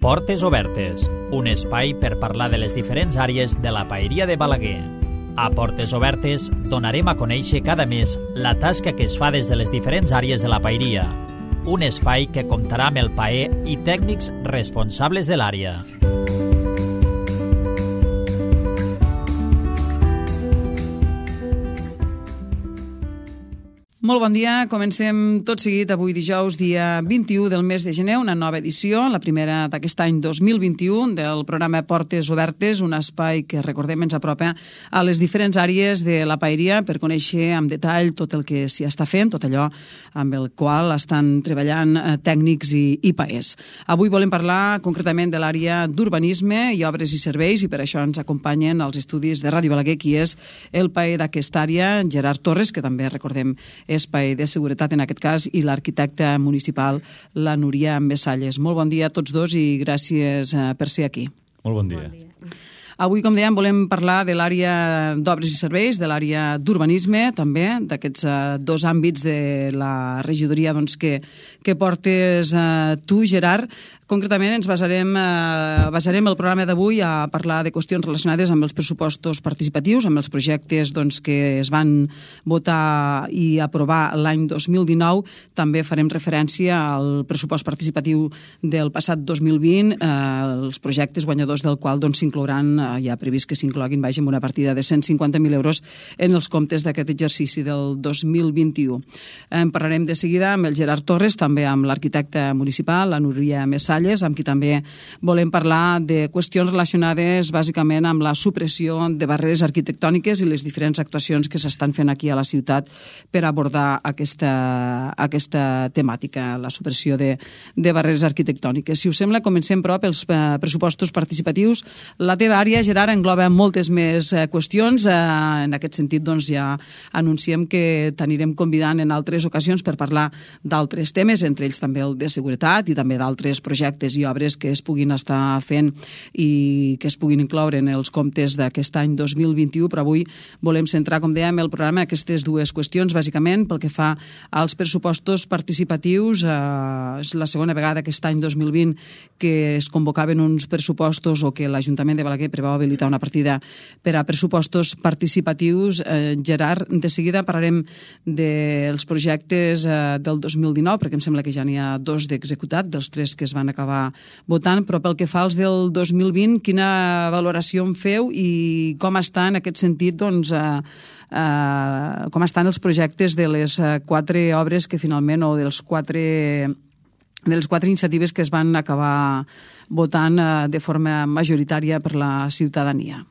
Portes Obertes, un espai per parlar de les diferents àrees de la paeria de Balaguer. A Portes Obertes donarem a conèixer cada mes la tasca que es fa des de les diferents àrees de la paeria. Un espai que comptarà amb el paer i tècnics responsables de l'àrea. Molt bon dia, comencem tot seguit avui dijous, dia 21 del mes de gener, una nova edició, la primera d'aquest any 2021 del programa Portes Obertes, un espai que, recordem, ens apropa a les diferents àrees de la paeria per conèixer amb detall tot el que s'hi està fent, tot allò amb el qual estan treballant tècnics i paers. Avui volem parlar concretament de l'àrea d'urbanisme i obres i serveis i per això ens acompanyen als estudis de Ràdio Balaguer, qui és el paer d'aquesta àrea, Gerard Torres, que també, recordem, és paer de seguretat en aquest cas, i l'arquitecte municipal, la Núria Messalles. Molt bon dia a tots dos i gràcies per ser aquí. Molt bon dia. Avui, com dèiem, volem parlar de l'àrea d'obres i serveis, de l'àrea d'urbanisme, també, d'aquests dos àmbits de la regidoria que portes tu, Gerard. Concretament, ens basarem el programa d'avui a parlar de qüestions relacionades amb els pressupostos participatius, amb els projectes que es van votar i aprovar l'any 2019. També farem referència al pressupost participatiu del passat 2020, els projectes guanyadors del qual s'inclouran, hi ha previst que s'incloguin, amb una partida de 150.000 euros en els comptes d'aquest exercici del 2021. En parlarem de seguida amb el Gerard Torres, també amb l'arquitecte municipal, la Núria Messalles, amb qui també volem parlar de qüestions relacionades bàsicament amb la supressió de barreres arquitectòniques i les diferents actuacions que s'estan fent aquí a la ciutat per abordar aquesta temàtica, la supressió de barreres arquitectòniques. Si us sembla, comencem però pels pressupostos participatius. La teva àrea, Gerard, engloba moltes més qüestions. En aquest sentit, ja anunciem que t'anirem convidant en altres ocasions per parlar d'altres temes, entre ells també el de seguretat i també d'altres projectes i obres que es puguin estar fent i que es puguin incloure en els comptes d'aquest any 2021, però avui volem centrar, com dèiem, el programa en aquestes dues qüestions, bàsicament pel que fa als pressupostos participatius. És la segona vegada aquest any 2020 que es convocaven uns pressupostos o que l'Ajuntament de Balaguer preveu habilitar una partida per a pressupostos participatius. Gerard, de seguida parlarem dels projectes del 2019, perquè em sembla que ja n'hi ha dos d'executat, dels tres que es van acabar votant, però pel que fa als del 2020, quina valoració en feu i com està en aquest sentit, com estan els projectes de les quatre obres que finalment, o de les quatre iniciatives que es van acabar votant de forma majoritària per la ciutadania?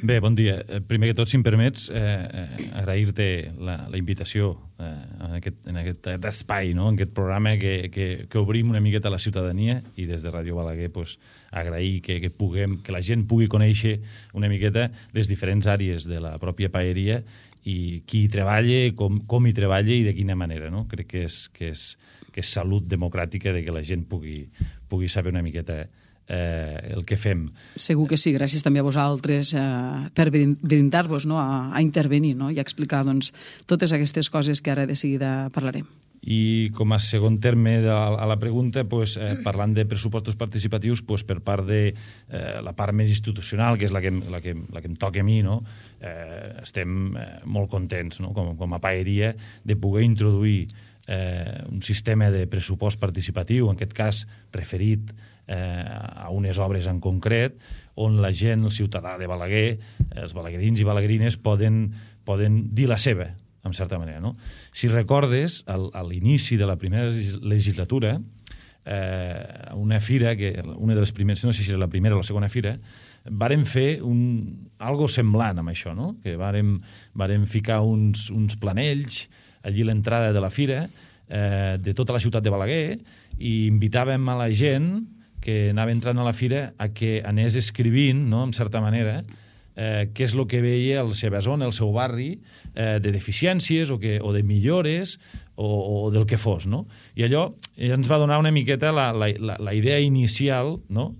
Bé, bon dia. Primer que tot, si em permets, agrair-te la invitació en aquest espai, en aquest programa que obrim una miqueta a la ciutadania, i des de Ràdio Balaguer agrair que la gent pugui conèixer una miqueta les diferents àrees de la pròpia paeria i qui hi treballa, com hi treballa i de quina manera. Crec que és salut democràtica de que la gent pugui saber una miqueta el que fem. Segur que sí, gràcies també a vosaltres per brindar-vos a intervenir i a explicar totes aquestes coses que ara de seguida parlarem. I com a segon terme a la pregunta, parlant de pressupostos participatius, per part de la part més institucional, que és la que em toca a mi, estem molt contents com a paeria de poder introduir un sistema de pressupost participatiu, en aquest cas referit a unes obres en concret, on la gent, el ciutadà de Balaguer, els balaguerins i balaguerines poden dir la seva, en certa manera. Si recordes, a l'inici de la primera legislatura, una fira, una de les primeres, no sé si era la primera o la segona fira, vàrem fer algo semblant amb això, que vàrem ficar uns planells allí a l'entrada de la fira de tota la ciutat de Balaguer i invitàvem a la gent que anava entrant a la fira a que anés escrivint, en certa manera, què és el que veia la seva zona, el seu barri, de deficiències o de millores o del que fos, no? I allò ens va donar una miqueta la idea inicial, no?,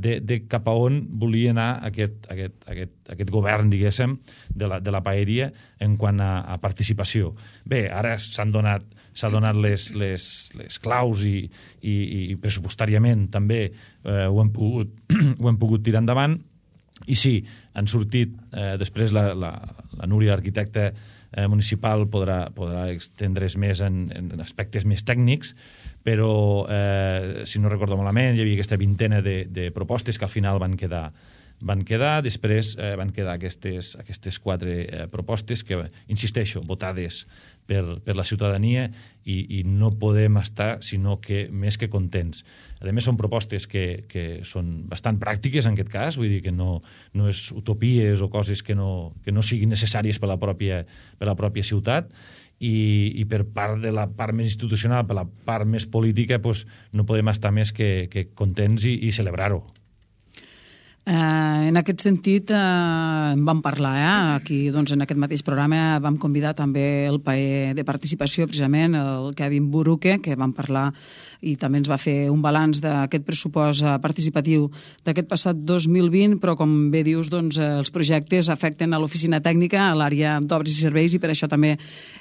de cap a on volia anar aquest govern, diguéssim, de la paeria en quant a participació. Bé, ara s'han donat les claus i pressupostàriament també ho hem pogut tirar endavant. I sí, han sortit, després la Núria, l'arquitecta municipal, podrà extendre's més en aspectes més tècnics, però, si no recordo malament, hi havia aquesta vintena de propostes que al final van quedar, després van quedar aquestes 4 propostes que, insisteixo, votades per la ciutadania i no podem estar sinó que més que contents. A més, són propostes que són bastant pràctiques en aquest cas, vull dir que no és utopies o coses que no siguin necessàries per la pròpia ciutat, i per part de la part més institucional, per la part més política, doncs, no podem estar més que contents i celebrar-ho. En aquest sentit, en vam parlar aquí, doncs, en aquest mateix programa vam convidar també el paer de participació, precisament, el Kevin Buruque, que vam parlar i també ens va fer un balanç d'aquest pressupost participatiu d'aquest passat 2020, però com bé dius, doncs, els projectes afecten a l'oficina tècnica, a l'àrea d'obres i serveis, i per això també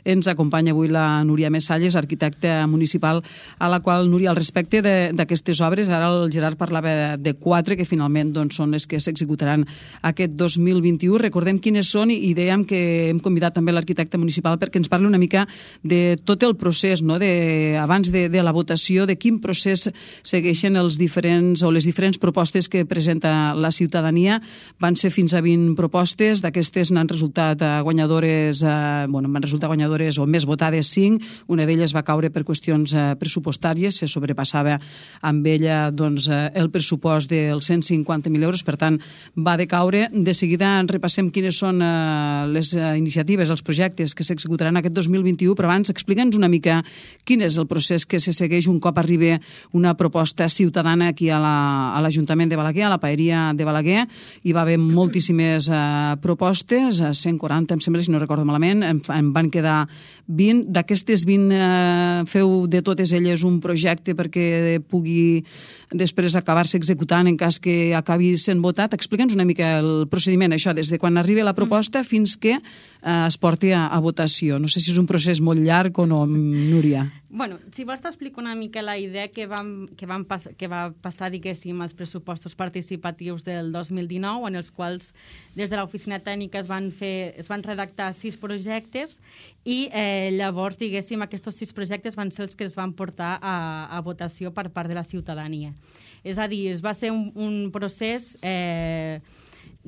ens acompanya avui la Núria Messalles, arquitecta municipal, a la qual, Núria, al respecte d'aquestes obres, ara el Gerard parlava de 4 que finalment doncs, són les que s'executaran aquest 2021. Recordem quines són i dèiem que hem convidat també l'arquitecte municipal perquè ens parli una mica de tot el procés, no? Abans de la votació, de quin procés segueixen les diferents propostes que presenta la ciutadania. Van ser fins a 20 propostes, d'aquestes n'han resultat guanyadores, o més votades 5, una d'elles va caure per qüestions pressupostàries, se sobrepassava amb ella doncs, el pressupost dels 150.000 euros, per tant va decaure. De seguida repassem quines són les iniciatives, els projectes que s'executaran aquest 2021, però abans explica'ns una mica quin és el procés que se segueix un cop arriba una proposta ciutadana aquí a l'Ajuntament de Balaguer, a la paeria de Balaguer. Hi va haver moltíssimes propostes, 140 em sembla, si no recordo malament, en van quedar 20. D'aquestes 20 feu de totes elles un projecte perquè pugui després acabar-se executant en cas que acabi sent votat. Explica'ns una mica el procediment, això, des de quan arriba la proposta fins que es porti a votació. No sé si és un procés molt llarg o no, Núria. Bueno, si vols t'explico una mica la idea que va passar, diguéssim, als pressupostos participatius del 2019, en els quals des de l'oficina tècnica es van redactar 6 projectes i llavors, diguéssim, aquests 6 projectes van ser els que es van portar a votació per part de la ciutadania. És a dir, va ser un procés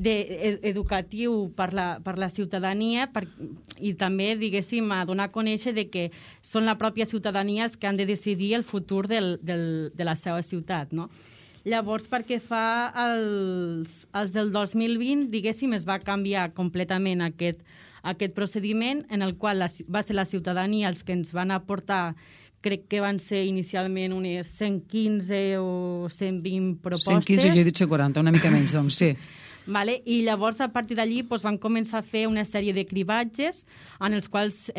educatiu per la ciutadania i també, diguéssim, a donar a conèixer que són la pròpia ciutadania els que han de decidir el futur de la seva ciutat, no? Llavors, perquè fa els del 2020, diguéssim, es va canviar completament aquest procediment en el qual va ser la ciutadania els que ens van aportar, crec que van ser inicialment unes 115 o 120 propostes. 115, jo he dit 140, una mica menys, doncs, sí. Vale? I llavors, a partir d'allí, van començar a fer una sèrie de cribatges en els quals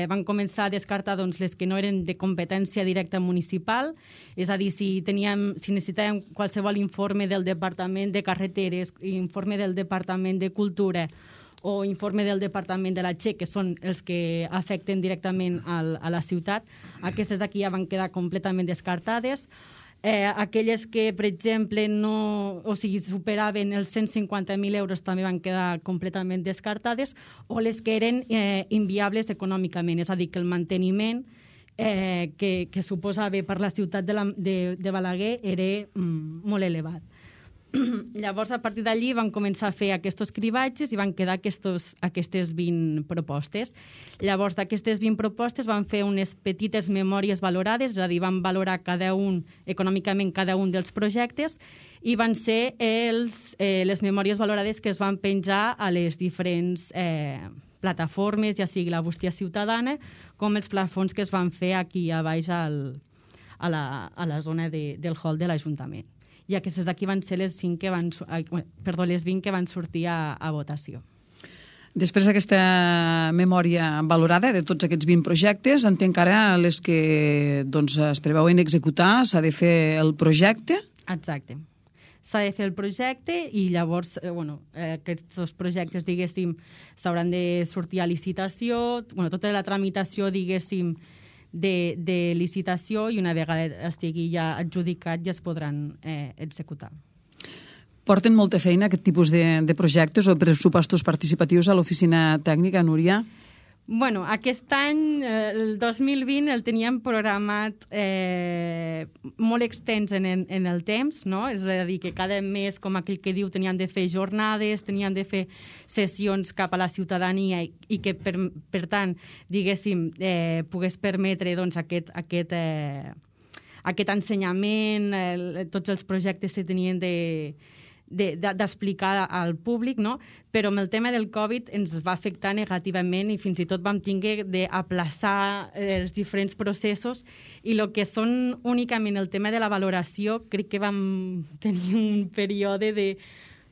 van començar a descartar les que no eren de competència directa municipal, és a dir, si necessitàvem qualsevol informe del Departament de Carreteres, informe del Departament de Cultura o informe del Departament de la Che, que són els que afecten directament a la ciutat, aquestes d'aquí ja van quedar completament descartades. Aquelles que, per exemple, superaven els 150.000 euros també van quedar completament descartades, o les que eren inviables econòmicament, és a dir, que el manteniment que suposava per la ciutat de Balaguer era molt elevat. Llavors, a partir d'allí van començar a fer aquests cribatges i van quedar aquestes 20 propostes. Llavors, d'aquestes 20 propostes van fer unes petites memòries valorades, és a dir, van valorar econòmicament cada un dels projectes i van ser les memòries valorades que es van penjar a les diferents plataformes, ja sigui la bústia ciutadana, com els plafons que es van fer aquí a baix a la zona del hall de l'Ajuntament. i aquestes d'aquí van ser les 20 que van sortir a votació. Després d'aquesta memòria valorada de tots aquests 20 projectes, entenc que ara les que es preveuen executar s'ha de fer el projecte? Exacte. S'ha de fer el projecte i llavors aquests dos projectes, diguéssim, s'hauran de sortir a licitació, tota la tramitació, diguéssim, de licitació, i una vegada estigui ja adjudicat ja es podran executar. Porten molta feina aquest tipus de projectes o pressupostos participatius a l'oficina tècnica, Núria? Bueno, aquest any, el 2020, el teníem programat molt extens en el temps, no? És a dir, que cada mes, com aquell que diu, tenien de fer jornades, tenien de fer sessions cap a la ciutadania i que, per tant, diguéssim, pogués permetre aquest ensenyament, tots els projectes se tenien d'explicar al públic, no? Però amb el tema del Covid ens va afectar negativament i fins i tot vam tenir d'aplaçar els diferents processos, i el que són únicament el tema de la valoració, crec que vam tenir un període de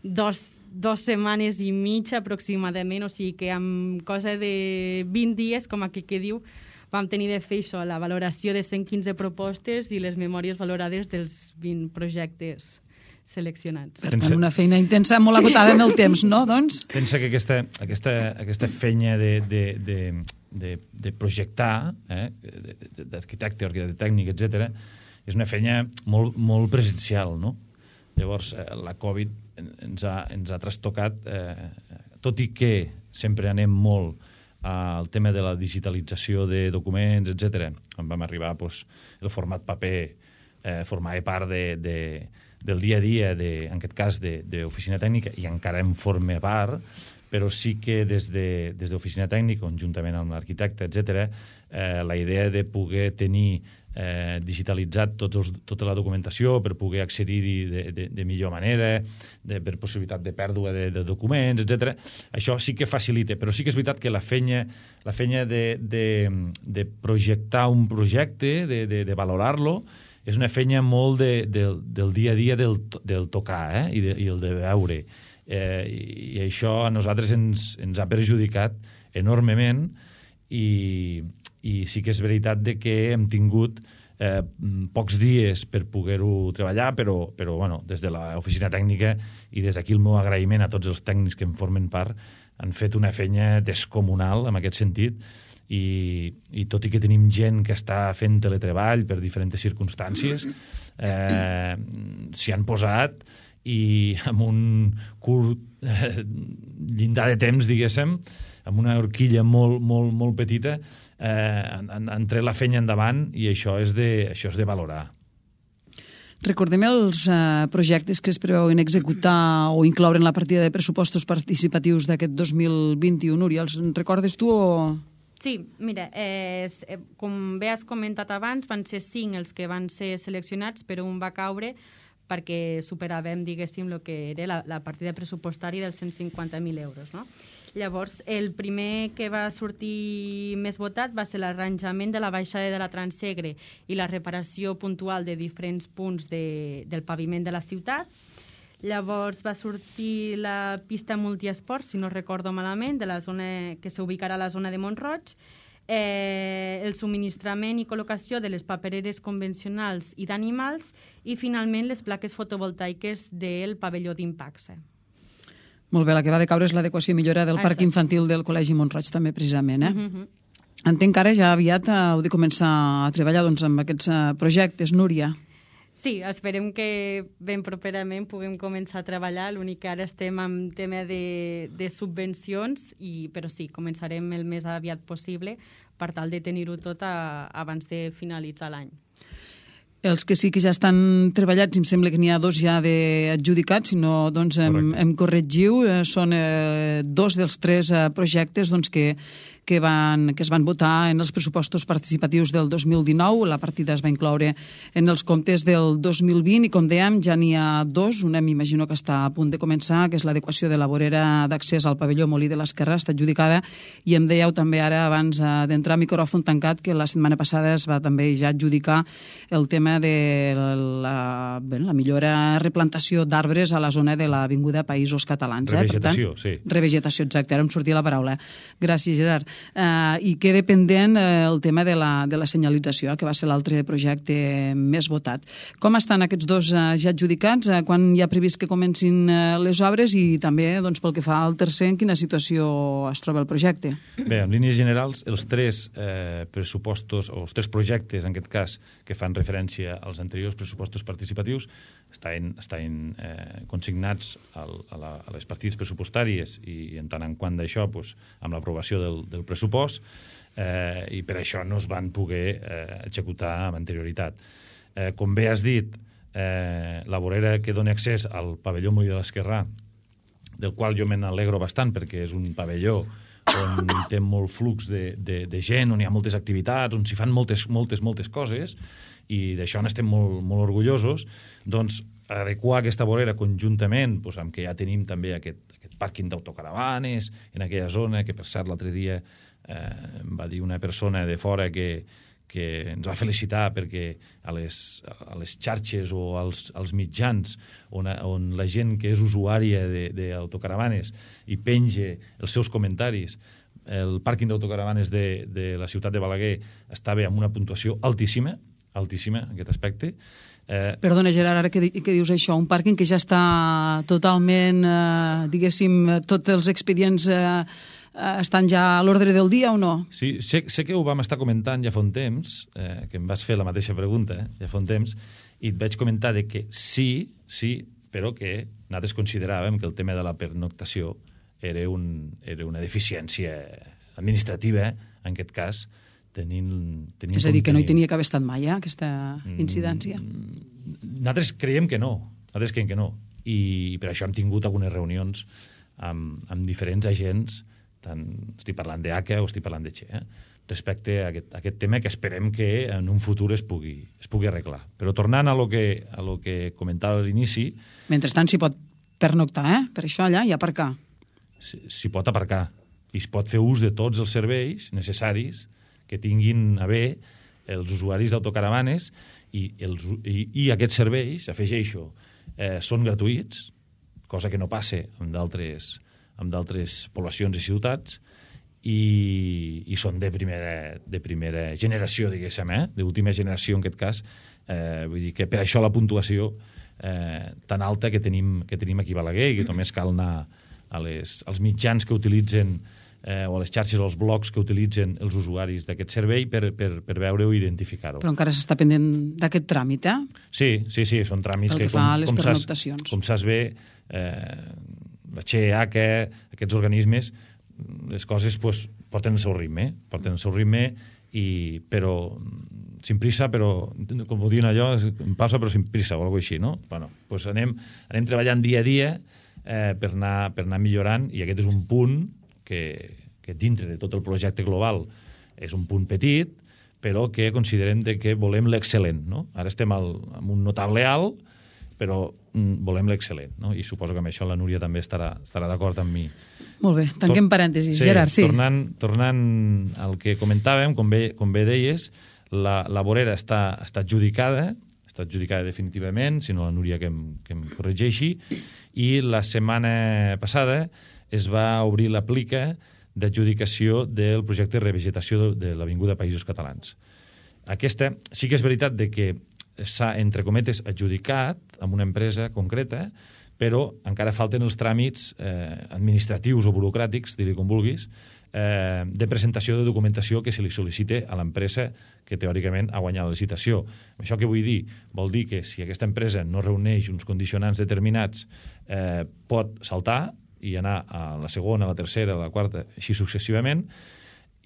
dos setmanes i mitja aproximadament, o sigui que amb cosa de 20 dies, com aquell que diu, vam tenir de fer això, la valoració de 115 propostes i les memòries valorades dels 20 projectes seleccionats. Per tant, una feina intensa, molt acotada en el temps, no? Doncs? Pensa que aquesta feina de projectar, d'arquitecte, arquitecte tècnic, etc., és una feina molt presencial, no? Llavors, la Covid ens ha trastocat, tot i que sempre anem molt al tema de la digitalització de documents, etc. Quan vam arribar, el format paper formava part del dia a dia, en aquest cas, d'oficina tècnica, i encara en forma part, però sí que des d'oficina tècnica, conjuntament amb l'arquitecte, etc., la idea de poder tenir digitalitzat tota la documentació per poder accedir-hi de millor manera, per possibilitat de pèrdua de documents, etc. Això sí que facilita, però sí que és veritat que la feina de projectar un projecte, de valorar-lo, és una feina molt del dia a dia del tocar i el de veure. I això a nosaltres ens ha perjudicat enormement, i sí que és veritat que hem tingut pocs dies per poder-ho treballar, però des de l'oficina tècnica i des d'aquí el meu agraïment a tots els tècnics que en formen part, han fet una feina descomunal en aquest sentit, i tot i que tenim gent que està fent teletreball per diferents circumstàncies, s'hi han posat, i amb un curt llindar de temps, diguéssim, amb una horquilla molt petita, han tret la feina endavant, i això és de valorar. Recordem els projectes que es preveuen executar o incloure en la partida de pressupostos participatius d'aquest 2021. Núria, els recordes tu o...? Sí, mira, com bé has comentat abans, van ser 5 els que van ser seleccionats, però un va caure perquè superàvem, diguéssim, el que era la partida pressupostària dels 150.000 euros, no? Llavors, el primer que va sortir més votat va ser l'arranjament de la baixada de la Transsegre i la reparació puntual de diferents punts del paviment de la ciutat. Llavors va sortir la pista multiesport, si no recordo malament, de la zona que s'ubicarà a la zona de Mont-roig, el subministrament i col·locació de les papereres convencionals i d'animals, i finalment les plaques fotovoltaiques del pavelló d'Impaxe. Molt bé, la que va decaure és l'adequació i millora del parc infantil del Col·legi Mont-roig, també, precisament. Entenc que ara ja aviat heu de començar a treballar amb aquests projectes, Núria. Sí, esperem que ben properament puguem començar a treballar. L'únic que ara estem en tema de subvencions, però sí, començarem el més aviat possible per tal de tenir-ho tot abans de finalitzar l'any. Els que sí que ja estan treballats, em sembla que n'hi ha 2 ja adjudicats, si no em corregiu, són 2 dels 3 projectes que que es van votar en els pressupostos participatius del 2019. La partida es va incloure en els comptes del 2020 i, com dèiem, ja n'hi ha dos. Una m'imagino que està a punt de començar, que és l'adequació de la vorera d'accés al pavelló Molí de l'Esquerra, està adjudicada, i em dèieu també ara, abans d'entrar a micròfon tancat, que la setmana passada es va també ja adjudicar el tema de la millora replantació d'arbres a la zona de l'Avinguda Països Catalans. Revegetació, sí. Revegetació, exacte, ara em sortia la paraula. Gràcies, Gerard. I queda pendent el tema de la senyalització, que va ser l'altre projecte més votat. Com estan aquests dos ja adjudicats? Quan hi ha previst que comencin les obres i també, doncs, pel que fa al tercer, en quina situació es troba el projecte? Bé, en línies generals, els tres pressupostos, o els tres projectes, en aquest cas, que fan referència als anteriors pressupostos participatius, estan consignats a les partides pressupostàries i en tant en quant d'això, amb l'aprovació del pressupost, i per això no es van poder executar amb anterioritat. Com bé has dit, la vorera que dona accés al pavelló Molí de l'Esquerrà, del qual jo me n'alegro bastant perquè és un pavelló on hi té molt flux de gent, on hi ha moltes activitats, on s'hi fan moltes coses, i d'això n'estem molt orgullosos. Doncs adequar aquesta vorera conjuntament amb que ja tenim també aquest pàrquing d'autocaravanes en aquella zona, que per cert l'altre dia em va dir una persona de fora que ens va felicitar perquè a les xarxes o als mitjans on la gent que és usuària d'autocaravanes i penja els seus comentaris, el pàrquing d'autocaravanes de la ciutat de Balaguer estava amb una puntuació altíssima en aquest aspecte. Perdona, Gerard, ara que dius això, un pàrquing que ja està totalment, diguéssim, tots els expedients estan ja a l'ordre del dia o no? Sí, sé que ho vam estar comentant ja fa un temps, que em vas fer la mateixa pregunta, ja fa un temps, i et vaig comentar que sí, però que nosaltres consideràvem que el tema de la pernoctació era una deficiència administrativa, en aquest cas, és a dir, que no hi tenia que haver estat mai, aquesta incidència? Nosaltres creiem que no, i per això hem tingut algunes reunions amb diferents agents, tant estic parlant d'ACA o estic parlant de Che, respecte a aquest tema que esperem que en un futur es pugui arreglar. Però tornant a lo que comentava a l'inici... Mentrestant s'hi pot pernoctar, per això allà i aparcar. S'hi pot aparcar i es pot fer ús de tots els serveis necessaris que tinguin a bé els usuaris d'autocaravanes i aquests serveis, afegeixo, són gratuïts, cosa que no passa amb d'altres poblacions i ciutats, i són de primera generació, diguéssim, d'última generació en aquest cas. Vull dir que per això la puntuació tan alta que tenim aquí a Balaguer, i que només cal anar als mitjans que utilitzen o a les xarxes o als blogs que utilitzen els usuaris d'aquest servei per veure-ho i identificar-ho. Però encara s'està pendent d'aquest tràmit, Sí, són tràmits que fa a les pernoctacions. Com saps bé, la Che, aquests organismes, les coses porten el seu ritme, però sin prisa, però, com ho diuen allò, em passa però sin prisa o alguna cosa així, no? Bueno, anem treballant dia a dia per anar millorant, i aquest és un punt que dintre de tot el projecte global és un punt petit, però que considerem que volem l'excel·lent, no? Ara estem amb un notable alt, però volem l'excel·lent, no? I suposo que amb això la Núria també estarà d'acord amb mi. Molt bé, tanquem parèntesis, Gerard, sí. Tornant al que comentàvem, com bé deies, la vorera està adjudicada definitivament, si no la Núria que em corregeixi, i la setmana passada es va obrir la plica d'adjudicació del projecte de revegetació de l'Avinguda Països Catalans. Aquesta sí que és veritat que s'ha, entre cometes, adjudicat amb una empresa concreta, però encara falten els tràmits administratius o burocràtics, dir-li com vulguis, de presentació de documentació que se li sol·licite a l'empresa que teòricament ha guanyat la licitació. Això què vull dir? Vol dir que si aquesta empresa no reuneix uns condicionants determinats, pot saltar i anar a la segona, a la tercera, a la quarta, així successivament,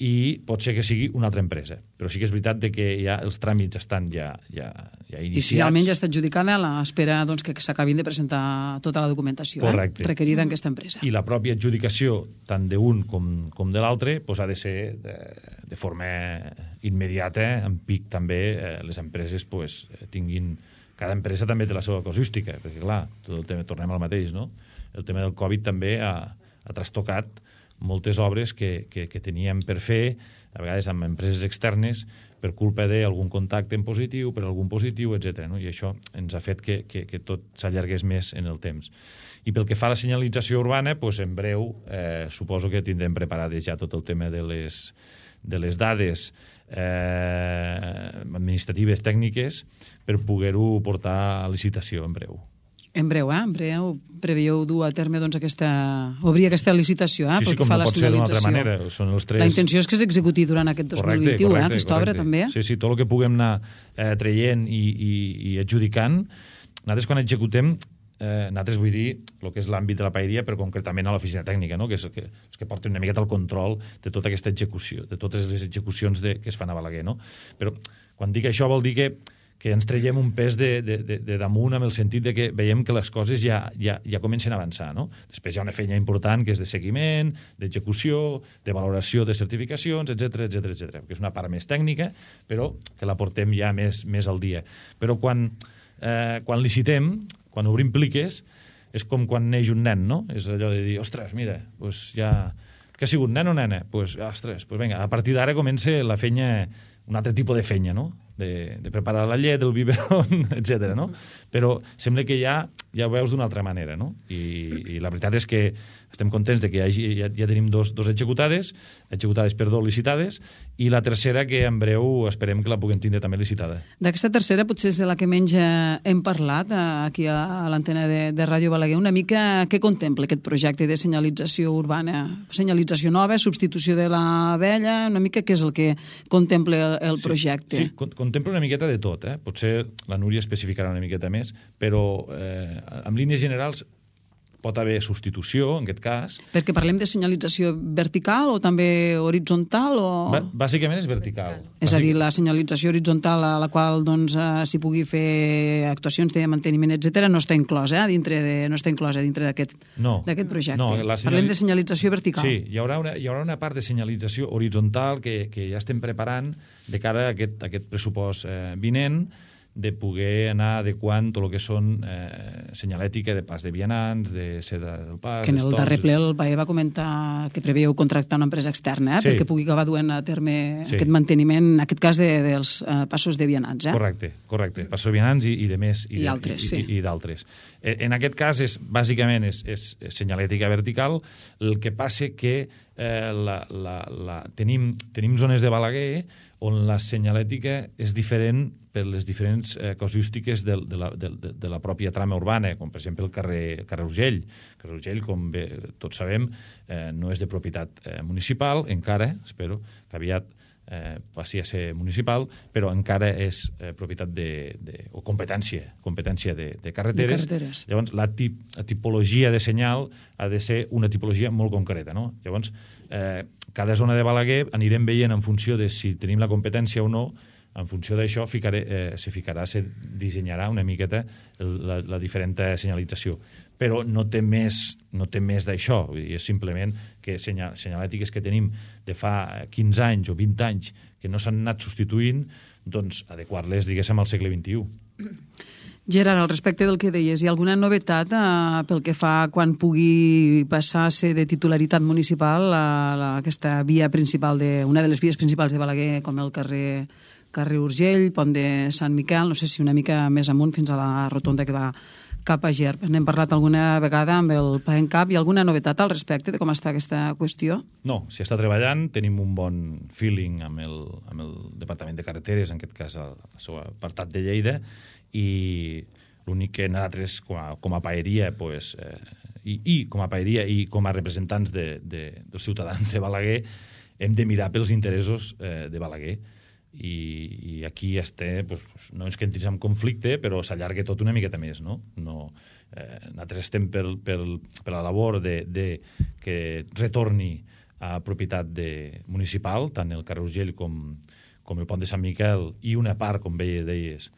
i pot ser que sigui una altra empresa. Però sí que és veritat que ja els tràmits estan ja iniciats. I si realment ja està adjudicada, a l'espera doncs, que s'acabin de presentar tota la documentació requerida en aquesta empresa. I la pròpia adjudicació, tant d'un com de l'altre, ha de ser de forma immediata, en pic també, les empreses tinguin... Cada empresa també té la seva casuística, perquè clar, tot el tema, tornem al mateix, no? El tema del Covid també ha trastocat moltes obres que teníem per fer, a vegades amb empreses externes, per culpa d'algun contacte en positiu, per algun positiu, etc. No? I això ens ha fet que tot s'allargués més en el temps. I pel que fa a la senyalització urbana, en breu suposo que tindrem preparades ja tot el tema de les dades administratives tècniques per poder-ho portar a licitació en breu. En breu, en breu preveieu dur a terme obrir aquesta licitació, sí, com no pot ser d'una altra manera. Són els 3... La intenció és que s'executi durant aquest 2021, aquesta obra també. Sí, tot el que puguem anar traient i adjudicant. Nosaltres quan executem, nosaltres vull dir el que és l'àmbit de la paeria, però concretament a l'oficina tècnica, no? que és els que porten una miqueta el control de tota aquesta execució, de totes les execucions que es fan a Balaguer. No? Però quan dic això vol dir que ens traiem un pes de damunt en el sentit de que veiem que les coses ja comencen a avançar. No? Després hi ha una feina important que és de seguiment, d'execució, de valoració de certificacions, etc, que és una part més tècnica, però que la portem ja més al dia. Però quan licitem, quan obrim pliques, és com quan neix un nen, no? És allò de dir, ostres, mira, ja... Què ha sigut, nen o nena? Ostres, vinga, a partir d'ara comença la feina, un altre tipus de feina, no? De preparar la llet, el biberon, etc. No? Però sembla que ja ho veus d'una altra manera, no? I la veritat és que estem contents de que ja tenim dos executades, licitades, i la tercera que en breu esperem que la puguem tindre també licitada. D'aquesta tercera potser és de la que menys hem parlat aquí a l'antena de Ràdio Balaguer. Una mica què contempla aquest projecte de senyalització urbana? Senyalització nova, substitució de la vella, una mica què és el que contempla el projecte? Sí, contempla una miqueta de tot. Potser la Núria especificarà una miqueta més, però en línies generals pot haver substitució, en aquest cas. Perquè parlem de senyalització vertical o també horitzontal? Bàsicament és vertical. És a dir, la senyalització horitzontal a la qual s'hi pugui fer actuacions de manteniment, etc., no està inclosa dintre d'aquest projecte. No, parlem de senyalització vertical. Sí, hi haurà una part de senyalització horitzontal que ja estem preparant de cara a aquest pressupost vinent, de poder anar adequant tot el que són senyalètica de pas de vianants, de seda del pas... Que en el darrer ple el BAE va comentar que preveu contractar una empresa externa perquè pugui acabar duent a terme aquest manteniment, en aquest cas dels passos de vianants. Correcte. Passos de vianants i de més. I altres, sí. I d'altres. En aquest cas, bàsicament, és senyalètica vertical. El que passa que tenim zones de Balaguer on la senyalètica és diferent per les diferents casuístiques de la pròpia trama urbana, com per exemple el carrer Urgell. El carrer Urgell, com bé tots sabem, no és de propietat municipal, encara, espero que aviat passi a ser municipal, però encara és propietat o competència de carreteres. Llavors, la tipologia de senyal ha de ser una tipologia molt concreta, no? Llavors, cada zona de Balaguer anirem veient en funció de si tenim la competència o no. En funció d'això se dissenyarà una miqueta la diferent senyalització. Però no té més d'això. És simplement que senyalètiques que tenim de fa 15 anys o 20 anys que no s'han anat substituint, doncs adequar-les, diguéssim, al segle XXI. Gerard, al respecte del que deies, hi ha alguna novetat pel que fa quan pugui passar a ser de titularitat municipal aquesta via principal, una de les vies principals de Balaguer, com el carrer Urgell, Pont de Sant Miquel, no sé si una mica més amunt fins a la rotonda que va cap a Gerb. N'hem parlat alguna vegada amb el PAENCAP. Hi ha alguna novetat al respecte de com està aquesta qüestió? No, s'hi està treballant, tenim un bon feeling amb el Departament de Carreteres, en aquest cas el seu apartat de Lleida, i l'únic que nosaltres com a paeria i com a representants dels ciutadans de Balaguer hem de mirar pels interessos de Balaguer. I aquí no ens que entrés en conflicte, però s'allarga tot una miqueta més, no? Nosaltres estem per la labor de que retorni a propietat municipal, tant el carrer Urgell com el pont de Sant Miquel, i una part, com deies,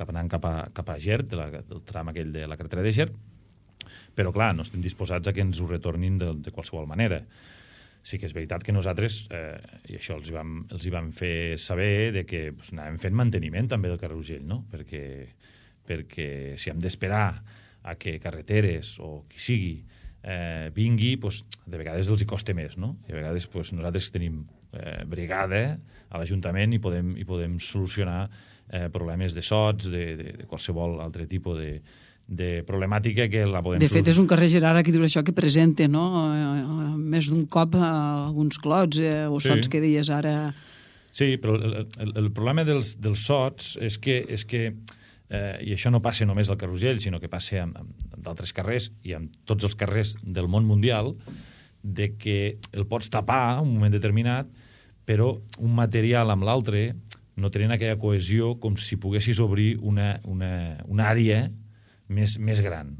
anant cap a Gert, del tram aquell de la carretera de Gert, però clar, no estem disposats a que ens ho retornin de qualsevol manera. Sí que és veritat que nosaltres, i això els hi vam fer saber, de que anàvem fent manteniment també del carrer Urgell, no? Perquè si hem d'esperar a que carreteres o qui sigui vingui, de vegades els hi costa més, no? I a vegades nosaltres tenim brigada a l'Ajuntament i podem solucionar problemes de sots, de qualsevol altre tipus de problemàtica que la podem... De fet, és un carrer, Gerard, aquí dius això, que presenta, no?, més d'un cop alguns clots o sots que deies ara. Sí, però el problema dels sots és que i això no passa només al carrer Urgell, sinó que passa amb d'altres carrers i amb tots els carrers del món mundial, de que el pots tapar en un moment determinat, però un material amb l'altre no tenen aquella cohesió com si poguessis obrir una àrea més gran.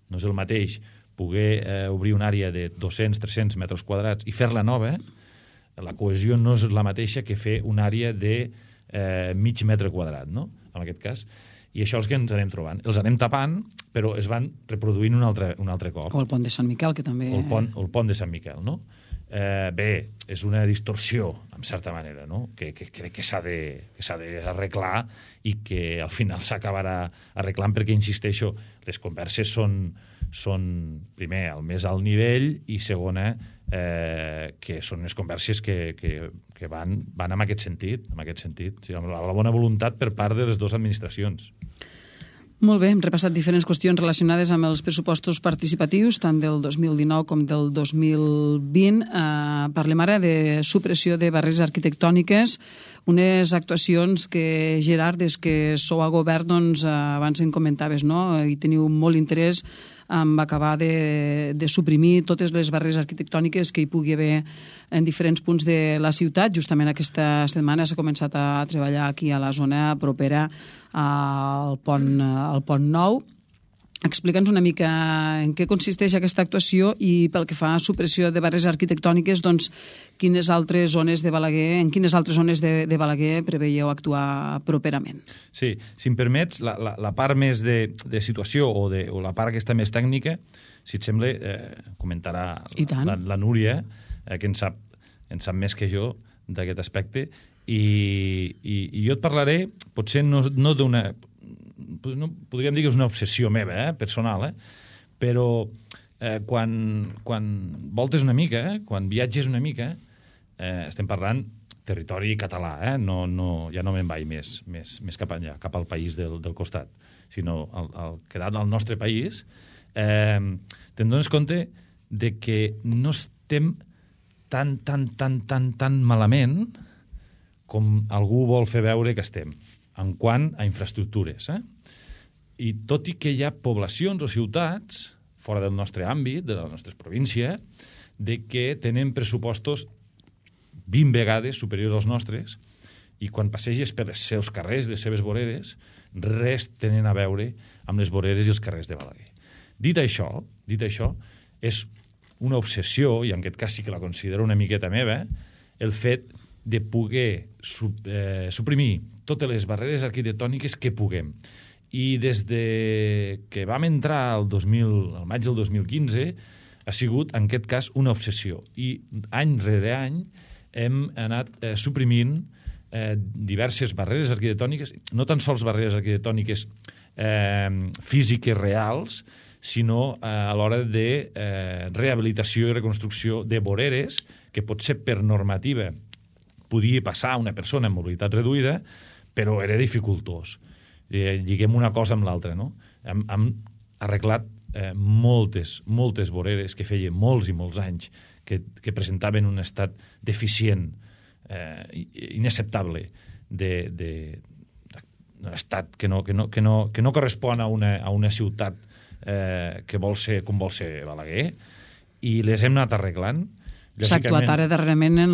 No és el mateix poder obrir una àrea de 200-300 metres quadrats i fer-la nova, la cohesió no és la mateixa que fer una àrea de mig metre quadrat, no?, en aquest cas. I això és el que ens anem trobant. Els anem tapant, però es van reproduint un altre cop. O el pont de Sant Miquel, que també... O el pont de Sant Miquel, no? Bé, és una distorsió, en certa manera, no?, que crec que s'ha d'arreglar i que al final s'acabarà arreglant perquè, insisteixo, les converses són primer, al més alt nivell, i segona, que són unes converses que van en aquest sentit, sí, amb la bona voluntat per part de les dues administracions. Molt bé, hem repassat diferents qüestions relacionades amb els pressupostos participatius, tant del 2019 com del 2020. Parlem ara de supressió de barreres arquitectòniques, unes actuacions que, Gerard, des que sou a govern, doncs, abans en comentaves, no?, i teniu molt interès en acabar de suprimir totes les barreres arquitectòniques que hi pugui haver en diferents punts de la ciutat. Justament aquesta setmana s'ha començat a treballar aquí a la zona propera al Pont Nou. Explica'ns una mica en què consisteix aquesta actuació i, pel que fa a supressió de barreres arquitectòniques, doncs, en quines altres zones de Balaguer preveieu actuar properament? Sí, si em permets, la part més de situació o la part aquesta més tècnica, si et sembla, comentarà la Núria, que en sap més que jo d'aquest aspecte, i jo et parlaré, potser no d'una... podríem dir que és una obsessió meva, personal, però quan voltes una mica, quan viatges una mica, estem parlant territori català, ja no me'n vaig més cap allà, cap al país del costat, sinó al quedat del nostre país, te'n dones compte de que no estem tan malament com algú vol fer veure que estem, en quant a infraestructures. I tot i que hi ha poblacions o ciutats, fora del nostre àmbit, de la nostra província, de que tenen pressupostos 20 vegades superiors als nostres, i quan passeges per els seus carrers, les seves voreres, res tenen a veure amb les voreres i els carrers de Balaguer. Dit això, és una obsessió, i en aquest cas sí que la considero una miqueta meva, el fet de poder suprimir totes les barreres arquitectòniques que puguem. I des que vam entrar al maig del 2015 ha sigut, en aquest cas, una obsessió. I any rere any hem anat suprimint diverses barreres arquitectòniques, no tan sols barreres arquitectòniques físiques reals, sinó a l'hora de rehabilitació i reconstrucció de voreres que potser per normativa podia passar una persona amb mobilitat reduïda, però era dificultós. Lliguem una cosa amb l'altra, no? Hem arreglat moltes voreres que feia molts i molts anys que presentaven un estat deficient, inacceptable, d'un estat que no correspon a una ciutat que vol ser com vol ser Balaguer, i les hem anat arreglant. S'ha actuat ara darrerament en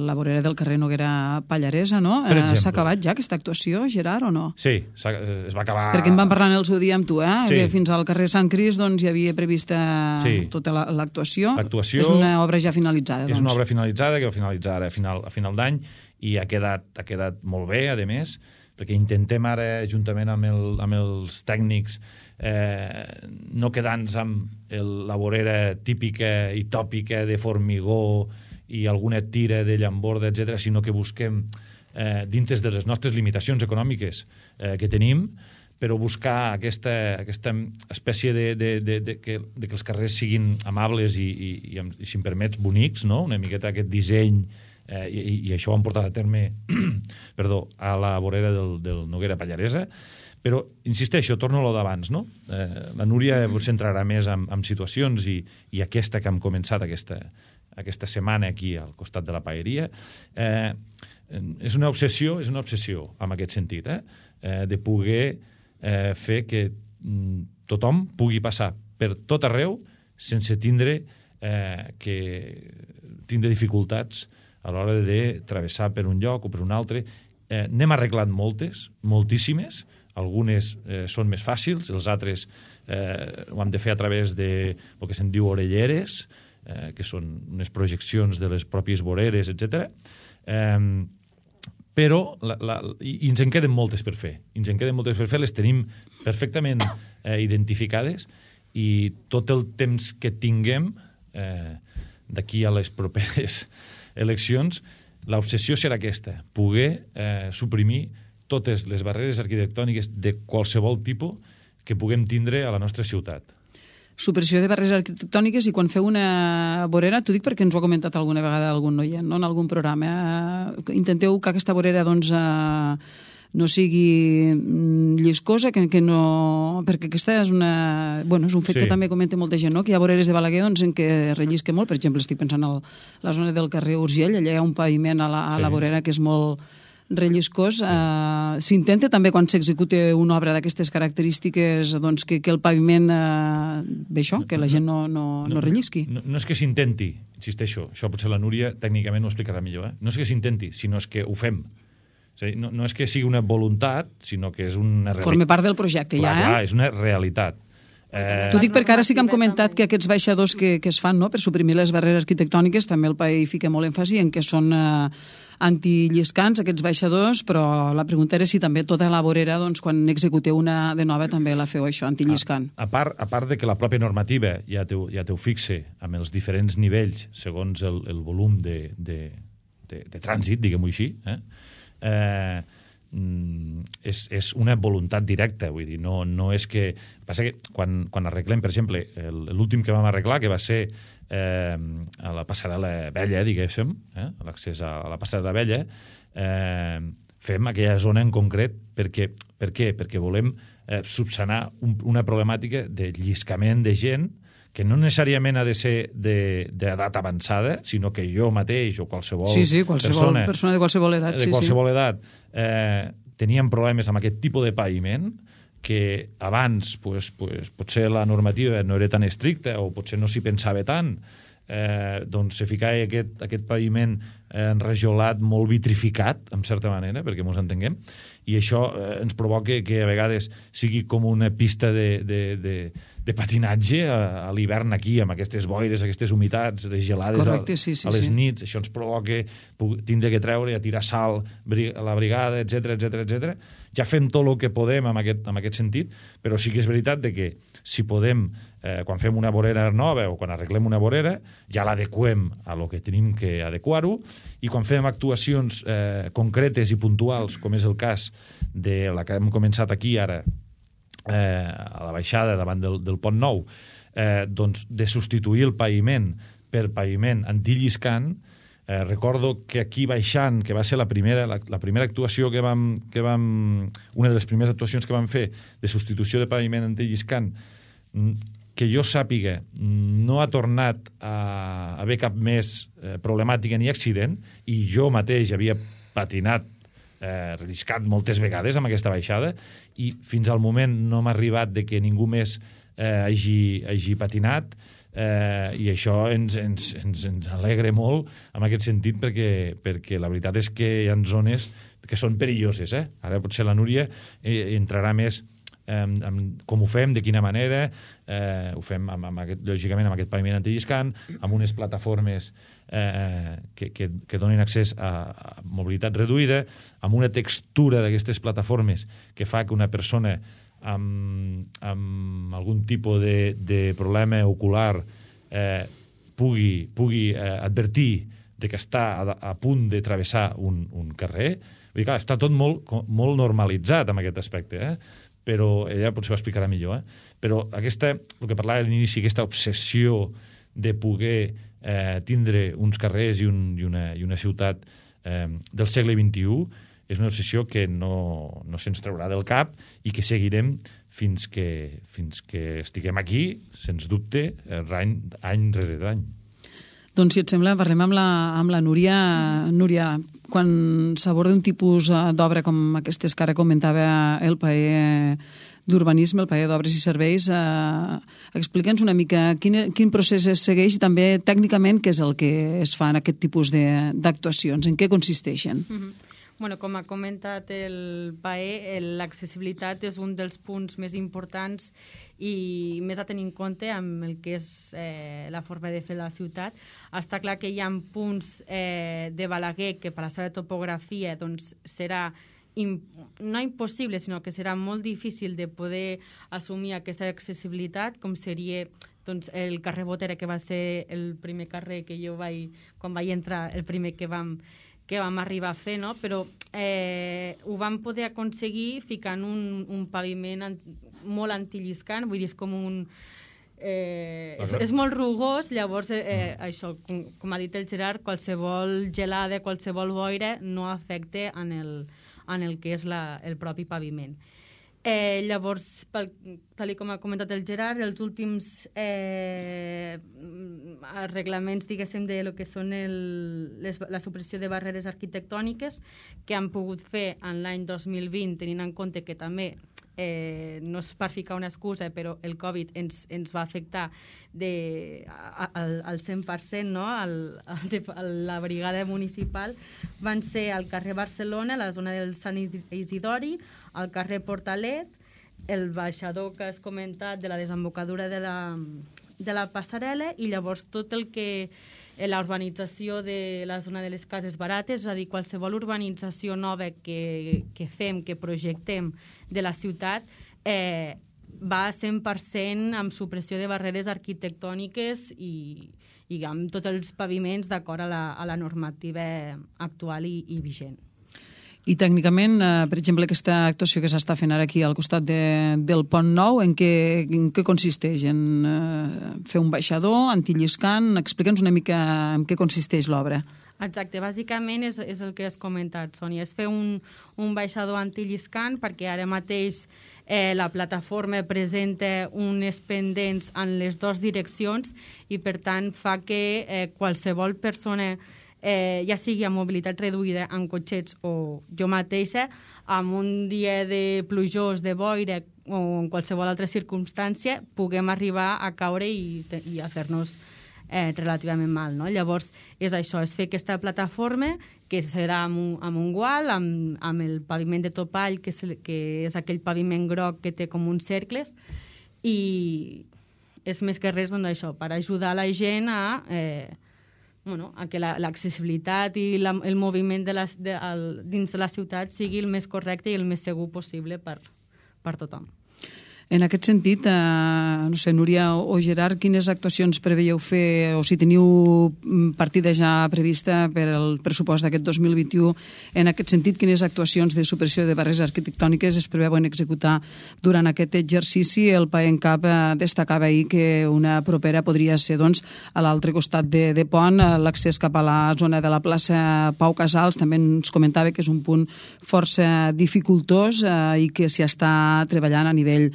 la vorera del carrer Noguera Pallaresa, no? S'ha acabat ja aquesta actuació, Gerard, o no? Sí, es va acabar... Perquè en vam parlar en el seu dia amb tu, Sí. que fins al carrer Sant Crist doncs, hi havia prevista tota l'actuació. L'actuació és una obra ja finalitzada. És una obra finalitzada, que va finalitzar ara a final d'any, i ha quedat molt bé, a més, perquè intentem ara, juntament amb els tècnics, no quedar-nos amb la vorera típica i tòpica de formigó i alguna tira de llamborda, etc., sinó que busquem, dintre de les nostres limitacions econòmiques que tenim, però buscar aquesta espècie de que els carrers siguin amables i si em permets, bonics, no? Una miqueta aquest disseny, i això ho han portat a terme a la vorera del Noguera Pallaresa. Però, insisteixo, torno a lo d'abans, no? La Núria potser entrarà més en situacions i aquesta que hem començat aquesta setmana aquí al costat de la paeria és una obsessió en aquest sentit, de poder fer que tothom pugui passar per tot arreu sense tindre dificultats a l'hora de travessar per un lloc o per un altre. N'hem arreglat moltíssimes. Algunes són més fàcils, els altres ho hem de fer a través de el que se'n diu orelleres, que són unes projeccions de les pròpies voreres, etc. Però i ens en queden moltes per fer. Les tenim perfectament identificades i tot el temps que tinguem d'aquí a les properes eleccions, l'obsessió serà aquesta, poder suprimir totes les barreres arquitectòniques de qualsevol tipus que puguem tindre a la nostra ciutat. Supressió de barreres arquitectòniques, i quan feu una vorera, t'ho dic perquè ens ho ha comentat alguna vegada algun noient, no? En algun programa, intenteu que aquesta vorera doncs, no sigui lliscosa, que no... perquè aquesta és una... Bueno, és un fet que també comenta molta gent, no? Que hi ha voreres de Balaguer doncs, en què rellisca molt. Per exemple, estic pensant en la zona del carrer Urgell, allà hi ha un paviment a la vorera que és molt relliscós. S'intenta també, quan s'executa una obra d'aquestes característiques, doncs, que el paviment ve això, que la gent no rellisqui. No és que s'intenti, insisteixo, això potser la Núria tècnicament ho explicarà millor, no és que s'intenti, sinó és que ho fem. És a dir, no és que sigui una voluntat, sinó que és una realitat. Forma part del projecte, ja, Clar, és una realitat. T'ho dic perquè ara sí que hem comentat que aquests baixadors que es fan, no?, per suprimir les barreres arquitectòniques, també el PAE fica molt èmfasi en que són antilliscants, aquests baixadors, però la pregunta era si també tota la vorera, doncs, quan executeu una de nova, també la feu això, antilliscant. A part de que la pròpia normativa ja t'ho fixe amb els diferents nivells, segons el volum de trànsit, diguem-ho així, és una voluntat directa, vull dir, no és que... Passa que quan arreglem, per exemple, l'últim que vam arreglar, que va ser a la passarel·la vella, diguéssim, a l'accés a la passarel·la vella, fem aquella zona en concret. Per què? Perquè volem subsanar una problemàtica de lliscament de gent que no necessàriament ha de ser d'edat avançada, sinó que jo mateix o qualsevol persona de qualsevol edat, teníem problemes amb aquest tipus de paviment, que abans potser la normativa no era tan estricta o potser no s'hi pensava tant, doncs se ficava aquest paviment enrajolat, molt vitrificat, en certa manera, perquè ens entenguem, i això ens provoca que a vegades sigui com una pista de patinatge a l'hivern aquí, amb aquestes boires, aquestes humitats, les gelades. Correcte, a les nits. Això ens provoca tindre que treure i a tirar sal a la brigada, etc. Ja fem tot el que podem en aquest sentit, però sí que és veritat que si podem, quan fem una vorera nova o quan arreglem una vorera, ja l'adequem a lo que tenim que adequar-ho, i quan fem actuacions concretes i puntuals, com és el cas de la que hem començat aquí ara, a la baixada davant del Pont Nou, doncs de substituir el paviment per paviment antilliscant. Recordo que aquí baixant, que va ser la primera actuació que vam una de les primeres actuacions que vam fer de substitució de paviment antilliscant, que jo sàpiga, no ha tornat a haver cap més problemàtica ni accident, i jo mateix havia patinat, relliscat moltes vegades amb aquesta baixada, i fins al moment no m'ha arribat de que ningú més hagi patinat. I això ens alegra molt en aquest sentit, perquè la veritat és que hi ha zones que són perilloses. Ara potser la Núria entrarà més com ho fem, de quina manera. Ho fem, lògicament, amb aquest paviment antilliscant, amb unes plataformes que donen accés a mobilitat reduïda, amb una textura d'aquestes plataformes que fa que una persona amb algun tipus de problema ocular pugui advertir de que està a punt de travessar un carrer. Vull dir, clar, està tot molt normalitzat en aquest aspecte, però ella potser ho explicarà millor. Però el que parlava a l'inici, aquesta obsessió de poder tindre uns carrers i una ciutat del segle XXI és una obsessió que no se'ns traurà del cap i que seguirem fins que estiguem aquí, sens dubte, any rere any. Doncs, si et sembla, parlem amb la Núria. Núria, quan s'aborda un tipus d'obra com aquestes que ara comentava el paer d'urbanisme, el paer d'obres i serveis, explica'ns una mica quin procés es segueix i també tècnicament què és el que es fa en aquest tipus d'actuacions, en què consisteixen. Bueno, com ha comentat el paer, l'accessibilitat és un dels punts més importants i més a tenir en compte amb el que és la forma de fer la ciutat. Està clar que hi ha punts de Balaguer que per la seva topografia doncs, serà no impossible, sinó que serà molt difícil de poder assumir aquesta accessibilitat, com seria doncs, el carrer Botera, que va ser el primer carrer que jo quan vaig entrar, el primer que vam arribar a fer, no? Però ho vam poder aconseguir ficant un paviment molt antilliscant, vull dir, és com un... és molt rugós, llavors això, com ha dit el Gerard, qualsevol gelada, qualsevol boira no afecta en el que és el propi paviment. Llavors, tal com ha comentat el Gerard, els últims arreglaments, diguéssim, de lo que són la supressió de barreres arquitectòniques que han pogut fer en l'any 2020, tenint en compte que també no és per ficar una excusa, però el Covid ens va afectar al 100%, no? La brigada municipal van ser al carrer Barcelona, a la zona del Sant Isidori, al carrer Portalet, el baixador que has comentat de la desembocadura de la passarel·la i llavors tot el que la urbanització de la zona de les cases barates, és a dir, qualsevol urbanització nova que fem, que projectem de la ciutat, va 100% amb supressió de barreres arquitectòniques i amb tots els paviments d'acord a la normativa actual i vigent. I tècnicament, per exemple, aquesta actuació que s'està fent ara aquí al costat del Pont Nou, en què consisteix? En fer un baixador antilliscant? Explica'ns una mica en què consisteix l'obra. Exacte, bàsicament és el que has comentat, Sònia, és fer un baixador antilliscant perquè ara mateix la plataforma presenta unes pendents en les dues direccions i per tant fa que qualsevol persona ja sigui amb mobilitat reduïda en cotxets o jo mateixa, amb un dia de plujós, de boira o en qualsevol altra circumstància, puguem arribar a caure i a fer-nos relativament mal, no? Llavors, és això, és fer aquesta plataforma que serà amb un gual, amb el paviment de topall, que és aquell paviment groc que té com uns cercles, i és més que res doncs, això, per ajudar la gent a que l'accessibilitat i el moviment dins de la ciutat sigui el més correcte i el més segur possible per tothom. En aquest sentit, no sé, Núria o Gerard, quines actuacions preveieu fer o si teniu partida ja prevista per al pressupost d'aquest 2021? En aquest sentit, quines actuacions de supressió de barreres arquitectòniques es preveuen executar durant aquest exercici? El PAENCAP destacava ahir que una propera podria ser doncs, a l'altre costat de Pont, l'accés cap a la zona de la plaça Pau Casals. També ens comentava que és un punt força dificultós i que s'hi està treballant a nivell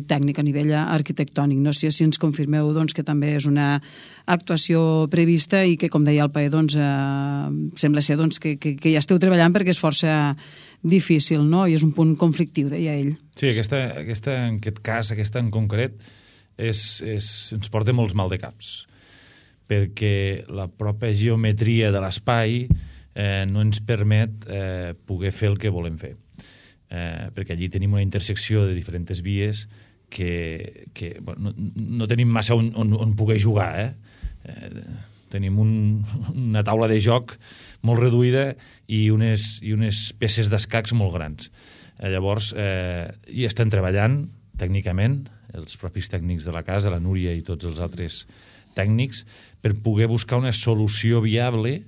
tècnic, a nivell arquitectònic. No sé si ens confirmeu doncs, que també és una actuació prevista i que, com deia el PAE, doncs, sembla ser doncs, que ja esteu treballant perquè és força difícil, no? I és un punt conflictiu, deia ell. Sí, en aquest cas, aquesta en concret, ens porta molts mal de caps, perquè la pròpia geometria de l'espai no ens permet poder fer el que volem fer. Perquè allí tenim una intersecció de diferents vies que bueno, no tenim massa on poder jugar. Tenim una taula de joc molt reduïda i unes peces d'escacs molt grans. Llavors, hi estem treballant tècnicament, els propis tècnics de la casa, la Núria i tots els altres tècnics, per poder buscar una solució viable,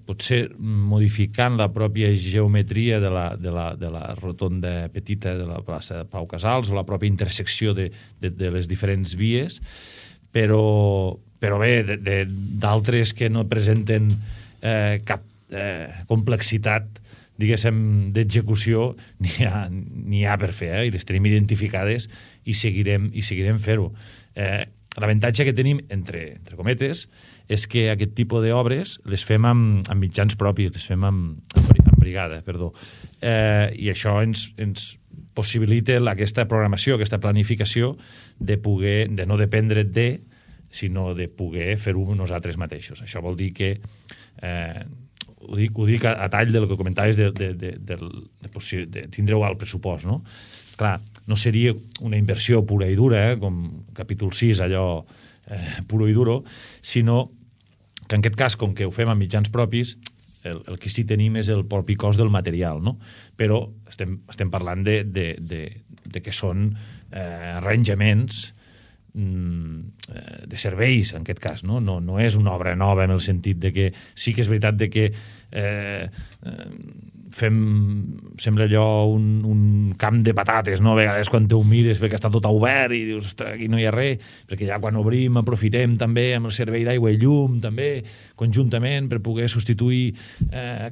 potser modificant la pròpia geometria de la rotonda petita de la plaça de Pau Casals o la pròpia intersecció de les diferents vies, però bé, d'altres que no presenten cap complexitat, diguéssim, d'execució n'hi ha per fer, i les tenim identificades i seguirem fer-ho. L'avantatge que tenim, entre cometes, és que aquest tipus d'obres les fem amb mitjans propis, les fem amb brigada, perdó. I això ens possibilita aquesta programació, aquesta planificació de no dependre sinó de poder fer-ho nosaltres mateixos. Això vol dir que ho dic a tall del que comentaves de tindre-ho al pressupost, no? Clar, no seria una inversió pura i dura, com capítol 6, allò puro i duro, sinó que en aquest cas, com que ho fem amb mitjans propis, el que sí tenim és el propi cost del material, no? Però estem parlant de que són arranjaments de serveis, en aquest cas, no? No és una obra nova en el sentit de que sí que és veritat de que sembla allò un camp de patates, no? A vegades quan te ho mires perquè està tot obert i dius, ostres, aquí no hi ha res, perquè ja quan obrim aprofitem també amb el servei d'aigua i llum també, conjuntament, per poder substituir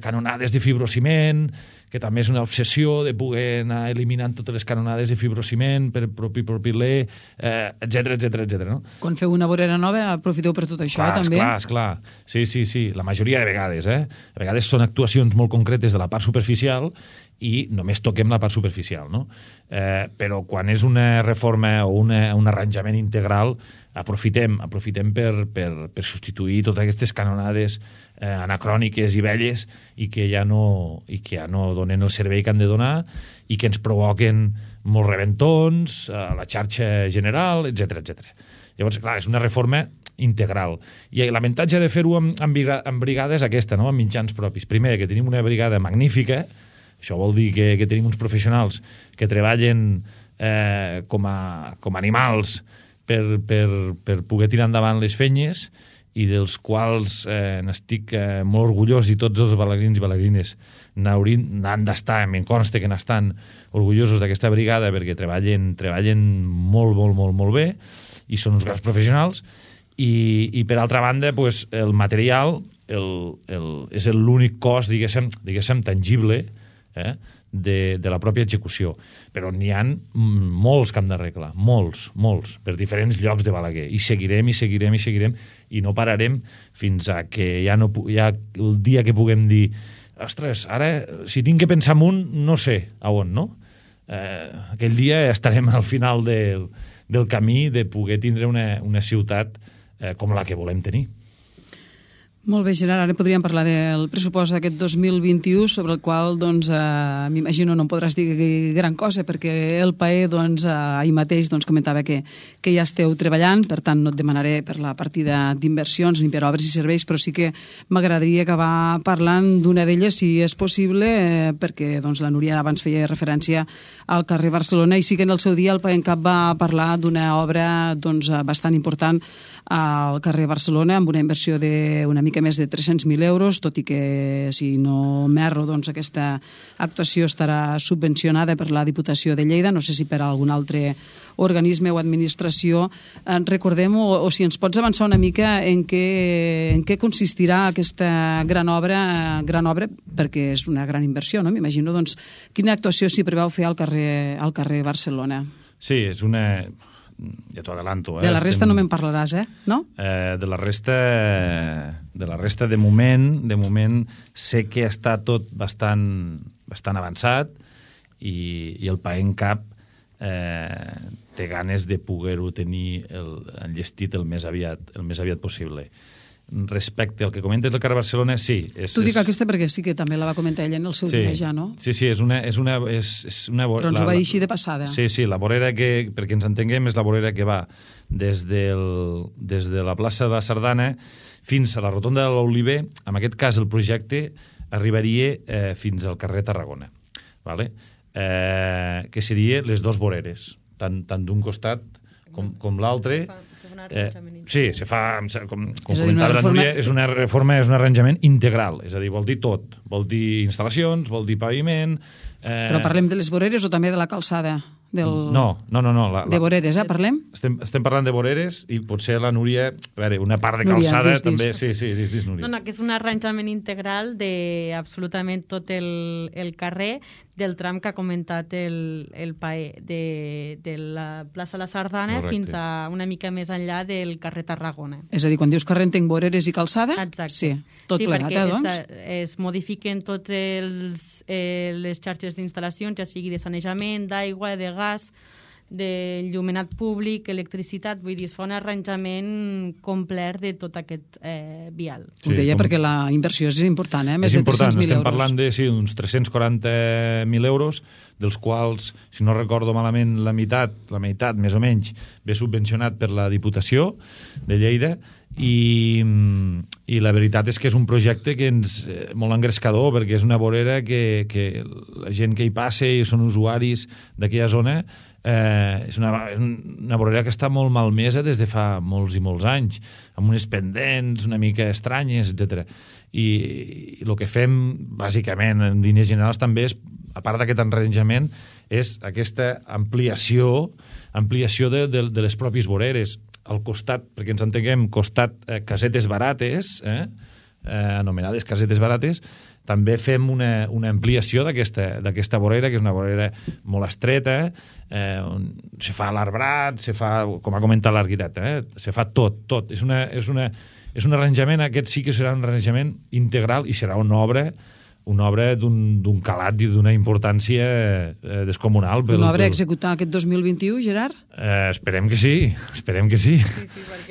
canonades de fibrociment, que també és una obsessió de poder anar eliminant totes les canonades de fibrociment per propilè, etc. No? Quan feu una vorera nova, aprofiteu per tot això, també? Esclar. Sí. La majoria de vegades, A vegades són actuacions molt concretes de la part superficial i només toquem la part superficial, no? Però quan és una reforma o un arranjament integral, aprofitem per substituir totes aquestes canonades anacròniques i velles i que ja no donen el servei que han de donar i que ens provoquen molts reventons a la xarxa general, etc. Llavors, clar, és una reforma integral. I l'avantatge de fer-ho amb brigades és aquesta, no? Amb mitjans propis. Primer, que tenim una brigada magnífica, això vol dir que tenim uns professionals que treballen com a animals per poder tirar endavant les fenyes i dels quals n'estic molt orgullós, i tots els balagrins i balagrines n'han d'estar, em consta que n'estan orgullosos d'aquesta brigada perquè treballen molt bé i són uns grans professionals. I per altra banda, pues, el material és l'únic cost, diguéssim, tangible de la pròpia execució. Però n'hi ha molts que hem d'arreglar, molts, per diferents llocs de Balaguer. I seguirem, i no pararem fins a que ja el dia que puguem dir, ostres, ara, si tinc que pensar en un, no sé a on, no? Aquell dia estarem al final del camí de poder tindre una ciutat com la que volem tenir. Molt bé, Gerard, ara podríem parlar del pressupost d'aquest 2021, sobre el qual, doncs, m'imagino no em podràs dir gran cosa, perquè el PAE, doncs, ahir mateix comentava que ja esteu treballant, per tant no et demanaré per la partida d'inversions ni per obres i serveis, però sí que m'agradaria acabar parlant d'una d'elles, si és possible, perquè doncs, la Núria abans feia referència al carrer Barcelona, i sí que en el seu dia el PAENCAP va parlar d'una obra doncs, bastant important al carrer Barcelona, amb una inversió d'una mica més de 300.000 euros, tot i que, si no m'erro, doncs aquesta actuació estarà subvencionada per la Diputació de Lleida, no sé si per algun altre organisme o administració. Recordem, o si ens pots avançar una mica en què consistirà aquesta gran obra, perquè és una gran inversió, no? M'imagino, doncs, quina actuació s'hi preveu fer al carrer Barcelona. Sí, és una... Ja t'ho adelanto. De la resta no me'n parlaràs, no? De la resta, de moment sé que està tot bastant avançat i el PAENCAP té ganes de poder-ho tenir enllestit el més aviat possible. Respecte al que comentes del carrer Barcelona, sí. Tu dic aquesta perquè sí que també la va comentar ella en el seu dia ja, no? Sí, és una... Però ens ho va dir així de passada. Sí, la vorera que, perquè ens entenguem, és la vorera que va des de la plaça de la Sardana fins a la rotonda de l'Oliver. En aquest cas, el projecte arribaria fins al carrer Tarragona, ¿vale? Que seria les dos voreres, tant d'un costat com l'altre. Sí, se fa, com comentava la Núria, és una reforma, és un arranjament integral, és a dir, vol dir tot, vol dir instal·lacions, vol dir paviment... Però parlem de les voreres o també de la calçada? No. De voreres, parlem? Estem parlant de voreres i potser la Núria, a veure, una part de calçada també... Sí, dis, Núria. No, que és un arranjament integral de absolutament tot el carrer, del tram que ha comentat el PAE, de la plaça La Sardana fins a una mica més enllà del carrer Tarragona. És a dir, quan dius carrer entenc voreres i calçada? Exacte. Sí, tot plegat, doncs? Sí, perquè es modifiquen totes les xarxes d'instal·lacions, ja sigui de sanejament, d'aigua, de gas, d'enllumenat públic, electricitat, vull dir, es fa un arranjament complet de tot aquest vial. Ho deia perquè la inversió és important, més de 300.000 euros. Estem parlant d'uns 340.000 euros, dels quals, si no recordo malament, la meitat més o menys, ve subvencionat per la Diputació de Lleida, i la veritat és que és un projecte que molt engrescador, perquè és una vorera que la gent que hi passa i són usuaris d'aquella zona, és una vorera que està molt malmesa des de fa molts i molts anys, amb unes pendents una mica estranyes, etc. I el que fem, bàsicament, en línies generals també és, a part d'aquest arranjament, és aquesta ampliació de les pròpies voreres. Al costat, perquè ens entenguem, costat casetes barates, anomenades casetes barates, també fem una ampliació d'aquesta vorera, que és una vorera molt estreta, on se fa l'arbrat, se fa, com ha comentat l'arquitecte, se fa tot. És un arranjament, aquest sí que serà un arranjament integral i serà una obra d'un calat i d'una importància descomunal. Una obra a executar aquest 2021, Gerard? Esperem que sí.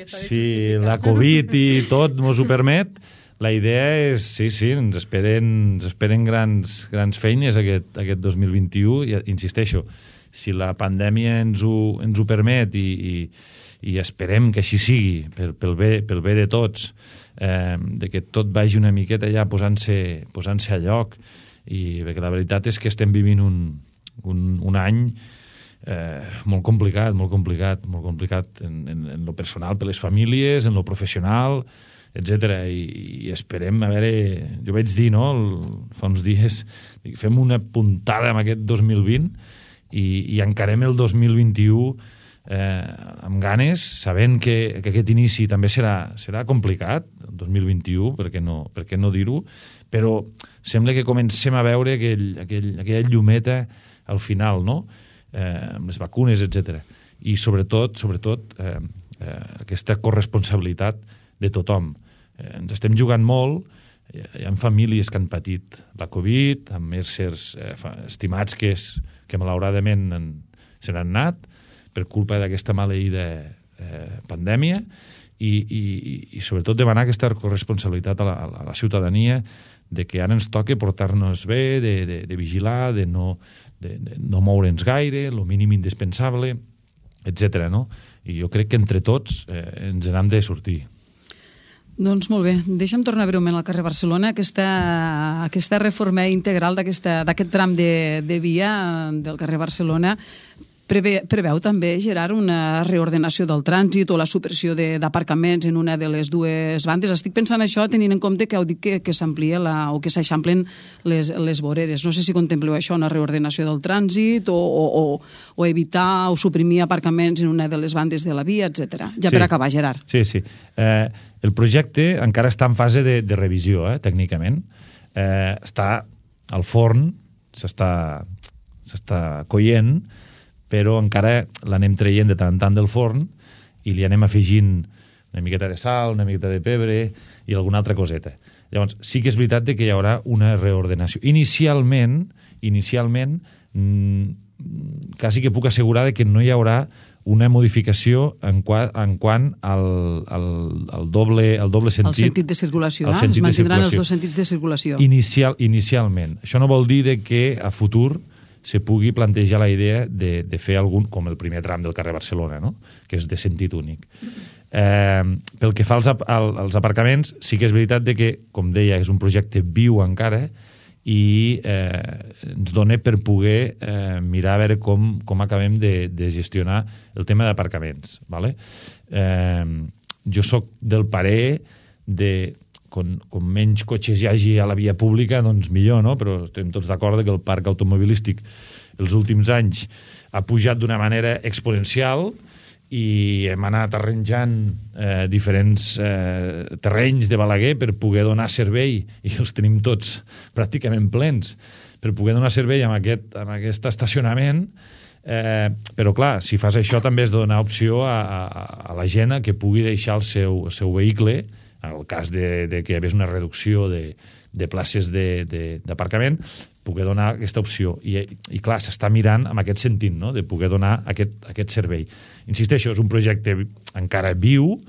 Si la Covid i tot ens ho permet, la idea és, sí, ens esperen grans feines aquest 2021, i insisteixo, si la pandèmia ens ho permet i esperem que així sigui, pel bé de tots, de que tot vagi una miqueta ja posant-se a lloc, i perquè la veritat és que estem vivint un any molt complicat en lo personal per les famílies, en lo professional, etc. I esperem, a veure, jo vaig dir, fa uns dies, fem una puntada amb aquest 2020 i encarem el 2021 amb ganes, sabent que aquest inici també serà complicat, el 2021, per què no dir-ho, però sembla que comencem a veure aquella llumeta al final, no? Amb les vacunes, etc. I sobretot aquesta corresponsabilitat de tothom. Ens estem jugant molt, hi ha famílies que han patit la Covid, amb éssers estimats que malauradament se n'han anat per culpa d'aquesta maleïda pandèmia, i sobretot demanar aquesta corresponsabilitat a la ciutadania de que ara ens toca portar-nos bé, de vigilar, de no moure'ns gaire, el mínim indispensable, etc. No? I jo crec que entre tots ens n'hem de sortir. Doncs molt bé, deixa'm tornar breument al carrer Barcelona, aquesta reforma integral d'aquest tram de via del carrer Barcelona. Preveu també, Gerard, una reordenació del trànsit o la supressió d'aparcaments en una de les dues bandes? Estic pensant això tenint en compte que heu dit que s'amplia o que s'eixamplen les voreres. No sé si contempleu això, una reordenació del trànsit o evitar o suprimir aparcaments en una de les bandes de la via, etc. Ja per acabar, Gerard. Sí. El projecte encara està en fase de revisió, tècnicament. Està al forn, s'està coient, però encara l'anem traient de tant en tant del forn i li anem afegint una miqueta de sal, una miqueta de pebre i alguna altra coseta. Llavors, sí que és veritat que hi haurà una reordenació. Inicialment quasi que puc assegurar que no hi haurà una modificació en quant al doble sentit. El sentit de circulació, es mantindran els dos sentits de circulació. Inicialment. Això no vol dir que a futur se pugui plantejar la idea de fer algun, com el primer tram del carrer Barcelona, no? Que és de sentit únic. Pel que fa als aparcaments, sí que és veritat que, com deia, és un projecte viu encara i ens dona per poder mirar a veure com acabem de gestionar el tema d'aparcaments. ¿Vale? Jo sóc del parer de com menys cotxes hi hagi a la via pública, doncs millor, no? Però estem tots d'acord que el parc automobilístic els últims anys ha pujat d'una manera exponencial i hem anat arranjant diferents terrenys de Balaguer per poder donar servei, i els tenim tots pràcticament plens, per poder donar servei amb aquest estacionament. Però clar, si fas això també es dona opció a la gent que pugui deixar el seu vehicle, en el cas de que hi hagués una reducció de places d'aparcament, poder donar aquesta opció. I clar, s'està mirant en aquest sentit, no? De poder donar aquest servei. Insisteixo, és un projecte encara viu,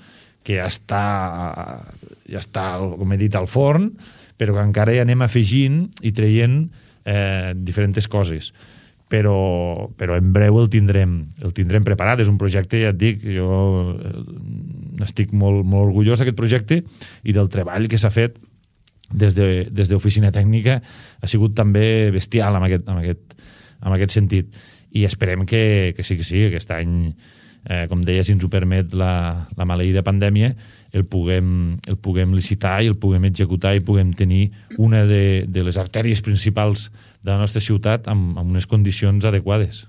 que ja està, com he dit, al forn, però que encara hi anem afegint i traient diferents coses. Però en breu el tindrem preparat. És un projecte, ja et dic, jo n'estic molt orgullós d'aquest projecte i del treball que s'ha fet des d'oficina tècnica ha sigut també bestial en aquest sentit. I esperem que sí, aquest any, com deia, si ens ho permet la maleïda pandèmia, el puguem licitar i el puguem executar i puguem tenir una de les artèries principals de la nostra ciutat amb unes condicions adequades.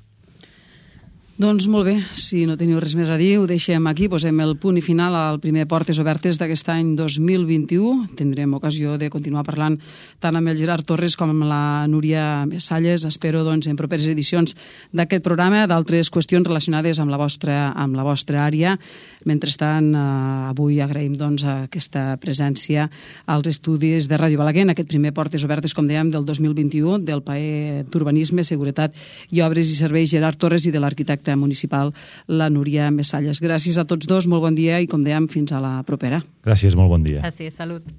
Doncs molt bé, si no teniu res més a dir, ho deixem aquí, posem el punt i final al primer Portes Obertes d'aquest any 2021. Tindrem ocasió de continuar parlant tant amb el Gerard Torres com amb la Núria Messalles. Espero, doncs, en properes edicions d'aquest programa, d'altres qüestions relacionades amb la vostra àrea. Mentrestant, avui agraïm, doncs, aquesta presència als estudis de Ràdio Balaguer en aquest primer Portes Obertes, com dèiem, del 2021, del PAE d'Urbanisme, Seguretat i Obres i Serveis, Gerard Torres, i de l'arquitecte municipal, la Núria Messalles. Gràcies a tots dos, molt bon dia i, com dèiem, fins a la propera. Gràcies, molt bon dia. Gràcies, salut.